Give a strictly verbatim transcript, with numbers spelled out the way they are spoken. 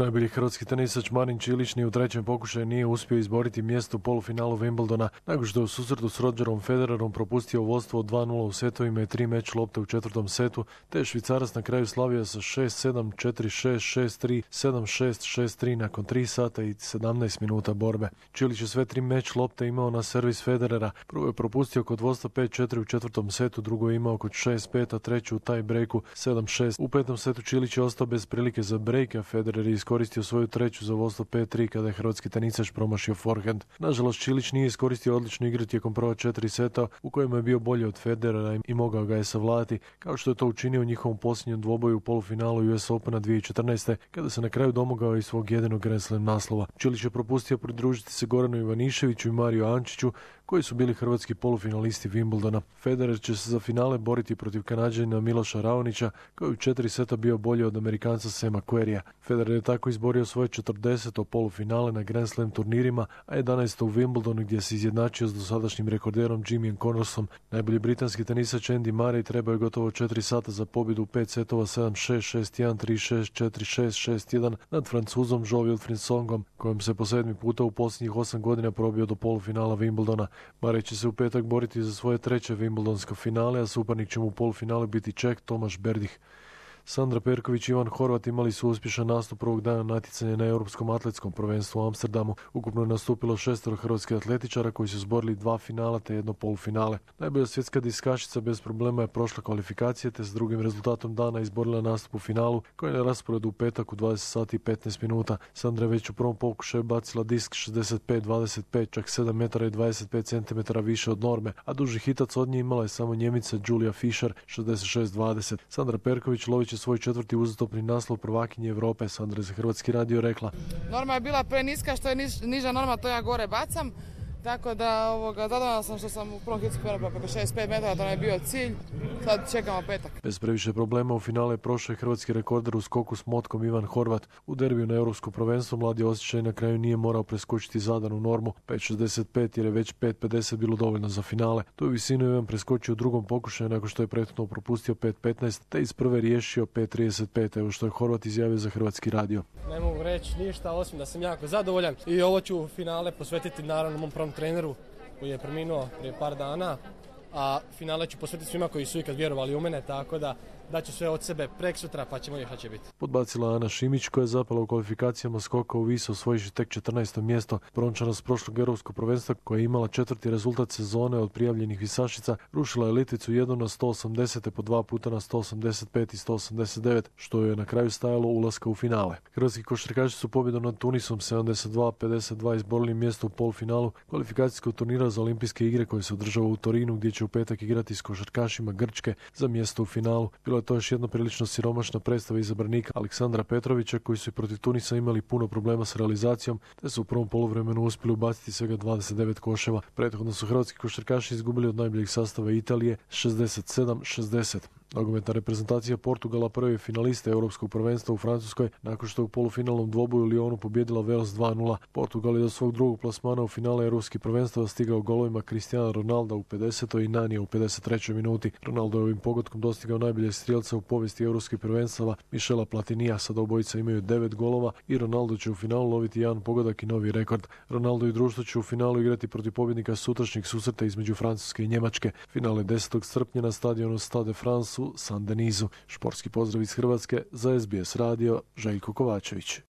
Najbolji hrvatski tenisač Marin Čilić ni u trećem pokušaju nije uspio izboriti mjesto u polufinalu Wimbledona, nakon što je u susretu s Rogerom Federerom propustio vodstvo od dva nula u setovima i tri meč lopte u četvrtom setu, te je Švicarac na kraju slavio sa šest sedam, četiri šest, šest tri, sedam šest, šest tri nakon tri sata i sedamnaest minuta borbe. Čilić je sve tri meč lopte imao na servis Federera. Prvo je propustio kod vodstva pet četiri u četvrtom setu, drugo je imao kod šest pet, a treću u taj breaku sedam šest. U petom setu Čilić je ostao bez prilike za break, a Federer je iskoristio svoju treću za vodstvo pet tri kada je hrvatski tenisač promašio forehand. Nažalost, Čilić nije iskoristio odličnu igru tijekom prva četiri seta u kojima je bio bolji od Federera i mogao ga je savladati, kao što je to učinio u njihovom posljednjem dvoboju u polufinalu U S Opena dvije tisuće četrnaeste. kada se na kraju domogao i svog jedinog Grand Slam naslova. Čilić je propustio pridružiti se Goranu Ivaniševiću i Mariju Ančiću, koji su bili hrvatski polufinalisti Wimbledona. Federer će se za finale boriti protiv Kanađanina Miloša Raonića, koji je u četiri seta bio bolji od Amerikanca Sema Querrya. Federer je tako izborio svoje četrdeseto polufinale na Grand Slam turnirima, a jedanaesto u Wimbledonu gdje se izjednačio s dosadašnjim rekorderom Jimmyem Connorsom. Najbolji britanski tenisač Andy Murray trebao je gotovo četiri sata za pobjedu u pet setova sedam šest, šest jedan, tri šest, četiri šest, šest jedan nad Francuzom Joao Wilfried Tsongom, kojem se po sedmi puta u posljednjih osam godina probio do polufinala Wimbledona. Murray će se u petak boriti za svoje treće Wimbledonsko finale, a suparnik će mu u polufinalu biti Čeh Tomaš Berdych. Sandra Perković i Ivan Horvat imali su uspješan nastup prvog dana natjecanja na Europskom atletskom prvenstvu u Amsterdamu. Ukupno je nastupilo šestero hrvatskih atletičara koji su zborili dva finala te jedno polufinale. Najbolja svjetska diskašica bez problema je prošla kvalifikacije te s drugim rezultatom dana izborila nastup u finalu koji je na rasporedu u petak u dvadeset sati i petnaest minuta. Sandra je već u prvom pokušaju bacila disk šezdeset pet dvadeset pet, čak sedam metara i dvadeset pet centimetara više od norme, a duži hitac od nje imala je samo Njemica Julia Fischer šezdeset šest dvadeset. Sandra Perković lovit će svoj četvrti uzastopni naslov prvakinje Europe. Sandra je za Hrvatski radio rekla: Norma je bila preniska, što je niž, niža norma, to ja gore bacam. Tako da ovoga, zadovoljna sam što sam u prvom hitsku penala preko šezdeset pet metara, to nam je bio cilj. Sad čekamo petak. Bez previše problema u finale prošao je hrvatski rekorder u skoku s motkom Ivan Horvat. U derbiju na Europsko prvenstvo mladi osjećaj na kraju nije morao preskočiti zadanu normu pet šezdeset pet jer je već pet pedeset bilo dovoljno za finale. Tu je visinu Ivan preskočio u drugom pokušaju nakon što je prethodno propustio pet petnaest te iz prve riješio pet trideset pet, evo što je Horvat izjavio za Hrvatski radio. Ne mogu reći ništa osim da sam jako zadovoljan i ovo ću finale posvetiti naravno mom prvom treneru koji je preminuo prije par dana, a finale ću posvetiti svima koji su ikad vjerovali u mene, tako da daću sve od sebe preksutra pa ćemo vidjeti šta će biti. Podbacila Ana Šimić koja je zapala u kvalifikacijama skoka u vis osvojivši tek četrnaesto mjesto. Brončana s prošlog europskog prvenstva koja je imala četvrti rezultat sezone od prijavljenih visašica rušila je Litvicu jednu na sto osamdeset po dva puta na sto osamdeset pet i sto osamdeset devet, što je na kraju stajalo ulaska u finale. Hrvatski košarkaši su pobjedom nad Tunisom sedamdeset dva pedeset dva izborili mjesto u polufinalu kvalifikacijskog turnira za olimpijske igre koje se održava u Torinu, gdje će u petak igrati s košarkašima Grčke za mjesto u finalu. Bilo je to još jedna prilično siromašna predstava izabranika Aleksandra Petrovića, koji su i protiv Tunisa imali puno problema s realizacijom, te su u prvom poluvremenu uspjeli ubaciti svega dvadeset devet koševa. Prethodno su hrvatski košarkaši izgubili od najboljeg sastava Italije šezdeset sedam šezdeset. Nogometna reprezentacija Portugala prvi je finalista Europskog prvenstva u Francuskoj nakon što je u polufinalnom dvoboju u Lyonu pobijedila Wales dva nula. Portugal je do svog drugog plasmana u finale Europskih prvenstva stigao golovima Cristiana Ronalda u pedesetoj i Nanija u pedeset trećoj minuti. Ronaldo je ovim pogodkom dostigao najboljeg strijelca u povijesti Europskih prvenstava Michela Platinija. Sada obojica imaju devet golova i Ronaldo će u finalu loviti jedan pogodak i novi rekord. Ronaldo i društvo će u finalu igrati protiv pobjednika sutrašnjeg susreta između Francuske i Njemačke. Finale desetog srpnja na stadionu Stade de France u Saint-Denisu. Športski pozdrav iz Hrvatske za S B S radio, Željko Kovačević.